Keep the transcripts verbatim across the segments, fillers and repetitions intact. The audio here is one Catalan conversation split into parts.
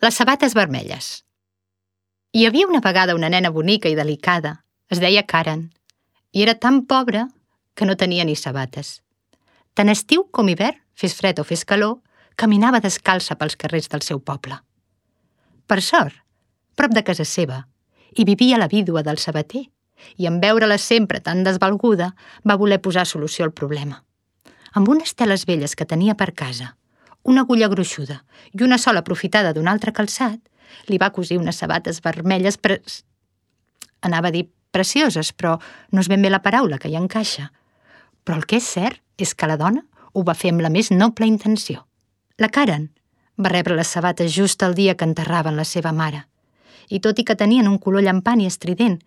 Les sabates vermelles. Hi havia una vegada una nena bonica i delicada. Es deia Karen. I era tan pobra que no tenia ni sabates. Tant estiu com hivern, fes fred o fes calor, caminava descalça pels carrers del seu poble. Per sort, prop de casa seva, hi vivia la vídua del sabater, i en veure-la sempre tan desvalguda, va voler posar solució al problema. Amb unes teles velles que tenia per casa, una agulla gruixuda i una sola aprofitada d'un altre calçat, li va cosir unes sabates vermelles pre... Anava a dir precioses, però no és ben bé la paraula que hi encaixa. Però el que és cert és que la dona ho va fer amb la més noble intenció. La Karen va rebre les sabates just el dia que enterraven la seva mare, i tot i que tenien un color llampant i estrident,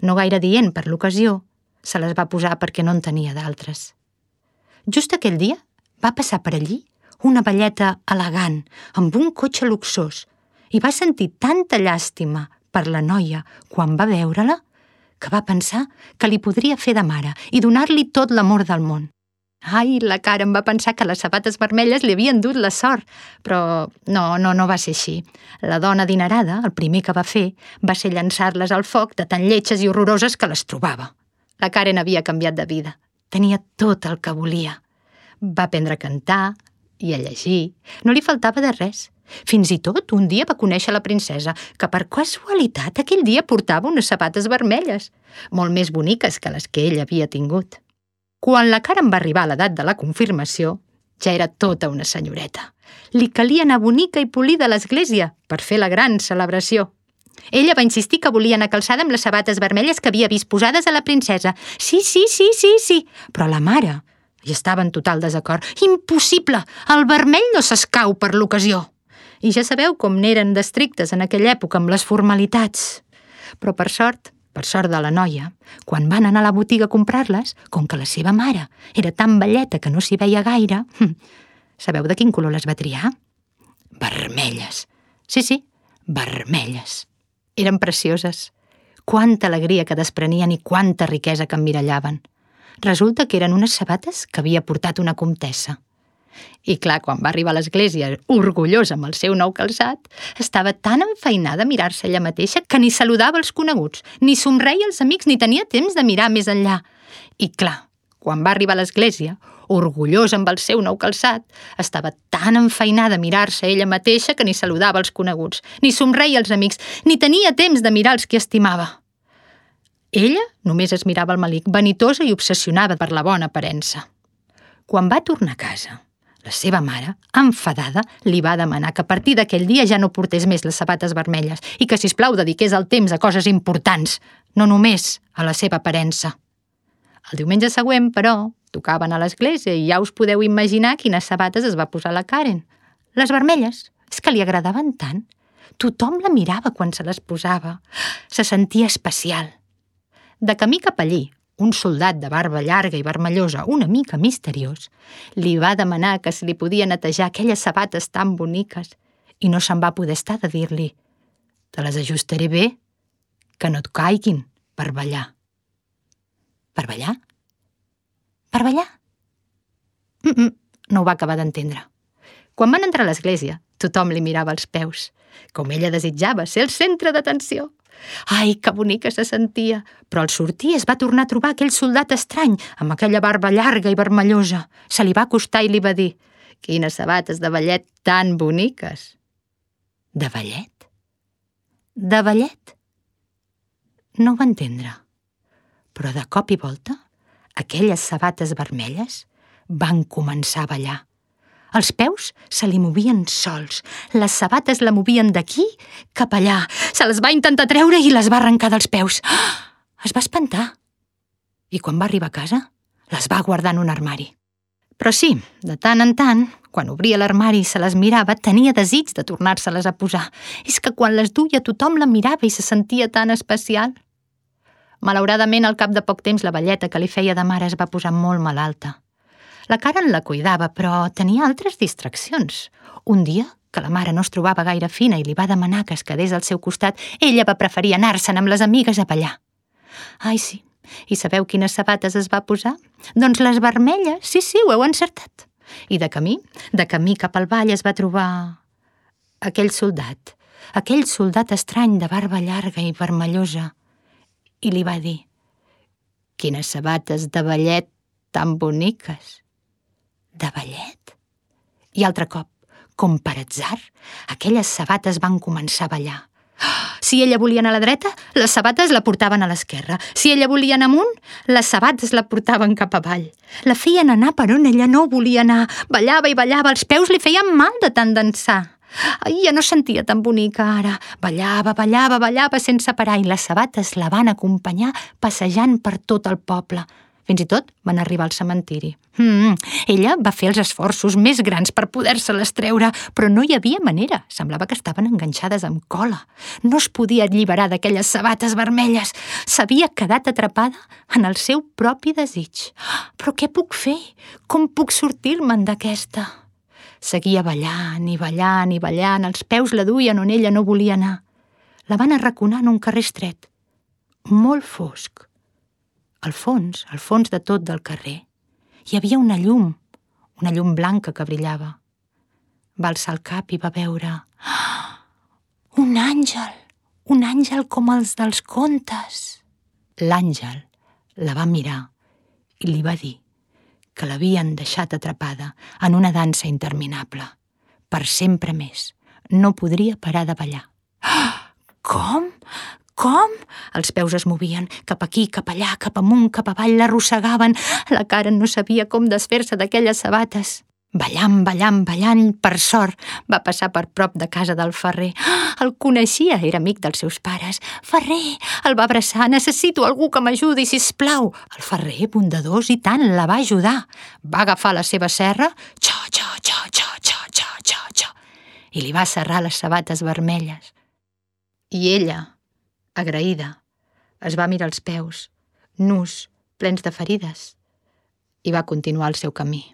no gaire dient per l'ocasió, se les va posar perquè no en tenia d'altres. Just aquell dia va passar per allí una velleta elegant, amb un cotxe luxós, i va sentir tanta llàstima per la noia quan va veure-la que va pensar que li podria fer de mare i donar-li tot l'amor del món. Ai, la Karen va pensar que les sabates vermelles li havien dut la sort, però no, no, no va ser així. La dona adinerada, el primer que va fer, va ser llançar-les al foc de tan lletges i horroroses que les trobava. La Karen havia canviat de vida. Tenia tot el que volia. Va aprendre a cantar i a llegir. No li faltava de res. Fins i tot un dia va conèixer la princesa, que per casualitat aquell dia portava unes sabates vermelles, molt més boniques que les que ell havia tingut. Quan la Karen va arribar a l'edat de la confirmació, ja era tota una senyoreta. Li calia anar bonica i polida a l'església per fer la gran celebració. Ella va insistir que volia anar calçada amb les sabates vermelles que havia vist posades a la princesa. Sí, sí, sí, sí, sí, però la mare hi estava en total desacord. Impossible! El vermell no s'escau per l'ocasió. I ja sabeu com n'eren d'estrictes en aquella època amb les formalitats. Però per sort, per sort de la noia, quan van anar a la botiga a comprar-les, com que la seva mare era tan velleta que no s'hi veia gaire, sabeu de quin color les va triar? Vermelles. Sí, sí, vermelles. Eren precioses. Quanta alegria que desprenien i quanta riquesa que emmirallaven. Resulta que eren unes sabates que havia portat una comtessa. I clar, quan va arribar a l'església, orgullosa amb el seu nou calçat, estava tan enfeinada a mirar-se ella mateixa que ni saludava els coneguts, ni somreia als amics, ni tenia temps de mirar més enllà. I clar, quan va arribar a l'església, orgullosa amb el seu nou calçat, estava tan enfeinada a mirar-se ella mateixa que ni saludava els coneguts, ni somreia als amics, ni tenia temps de mirar els que estimava. Ella només es mirava al melic, vanitosa i obsessionada per la bona aparença. Quan va tornar a casa, la seva mare, enfadada, li va demanar que a partir d'aquell dia ja no portés més les sabates vermelles i que, sisplau, dediqués el temps a coses importants, no només a la seva aparença. El diumenge següent, però, tocaven a l'església i ja us podeu imaginar quines sabates es va posar la Karen. Les vermelles, és que li agradaven tant. Tothom la mirava quan se les posava. Se sentia especial. De camí cap allí, un soldat de barba llarga i vermellosa, una mica misteriós, li va demanar que si li podia netejar aquelles sabates tan boniques i no se'n va poder estar de dir-li «Te les ajustaré bé, que no et caiguin per ballar». Per ballar? Per ballar? Mm -mm, no ho va acabar d'entendre. Quan van entrar a l'església, tothom li mirava els peus, com ella desitjava ser el centre d'atenció. Ai, que bonica se sentia! Però al sortir es va tornar a trobar aquell soldat estrany, amb aquella barba llarga i vermellosa. Se li va acostar i li va dir «Quines sabates de ballet tan boniques!» De ballet? De ballet? No ho va entendre. Però de cop i volta, aquelles sabates vermelles van començar a ballar. Els peus se li movien sols, les sabates la movien d'aquí cap allà. Se les va intentar treure i les va arrencar dels peus. Es va espantar. I quan va arribar a casa, les va guardar en un armari. Però sí, de tant en tant, quan obria l'armari i se les mirava, tenia desig de tornar-se-les a posar. És que quan les duia tothom la mirava i se sentia tan especial. Malauradament, al cap de poc temps, la velleta que li feia de mare es va posar molt malalta. La Karen la cuidava, però tenia altres distraccions. Un dia, que la mare no es trobava gaire fina i li va demanar que es quedés al seu costat, ella va preferir anar-se'n amb les amigues a ballar. Ai, sí. I sabeu quines sabates es va posar? Doncs les vermelles, sí, sí, ho heu encertat. I de camí, de camí cap al ball es va trobar aquell soldat, aquell soldat estrany de barba llarga i vermellosa, i li va dir: «Quines sabates de ballet tan boniques!» «De ballet?» I altre cop, com per atzar, aquelles sabates van començar a ballar. Si ella volia anar a la dreta, les sabates la portaven a l'esquerra. Si ella volia anar amunt, les sabates la portaven cap avall. La feien anar per on ella no volia anar. Ballava i ballava, els peus li feien mal de tant dansar. Ai, ja no sentia tan bonica ara. Ballava, ballava, ballava sense parar i les sabates la van acompanyar passejant per tot el poble. Fins i tot van arribar al cementiri. Mm, ella va fer els esforços més grans per poder-se-les treure, però no hi havia manera. Semblava que estaven enganxades amb cola. No es podia alliberar d'aquelles sabates vermelles. S'havia quedat atrapada en el seu propi desig. Però què puc fer? Com puc sortir-me'n d'aquesta? Seguia ballant i ballant i ballant. Els peus la duien on ella no volia anar. La van arraconar en un carrer estret, molt fosc. Al fons, al fons de tot del carrer, hi havia una llum, una llum blanca que brillava. Va alçar el cap i va veure... un àngel! Un àngel com els dels contes! L'àngel la va mirar i li va dir que l'havien deixat atrapada en una dansa interminable. Per sempre més. No podria parar de ballar. Com? Com? Els peus es movien, cap aquí, cap allà, cap amunt, cap avall, l'arrossegaven. La Karen no sabia com desfer-se d'aquelles sabates. Ballant, ballant, ballant, per sort, va passar per prop de casa del ferrer. El coneixia, era amic dels seus pares. «Ferrer!» El va abraçar. «Necessito algú que m'ajudi, sisplau!» El ferrer, bondadós i tant, la va ajudar. Va agafar la seva serra, xo, xo, xo, xo, xo, xo, xo, xo, i li va serrar les sabates vermelles. I ella, agraïda, es va mirar els peus, nus, plens de ferides, i va continuar el seu camí.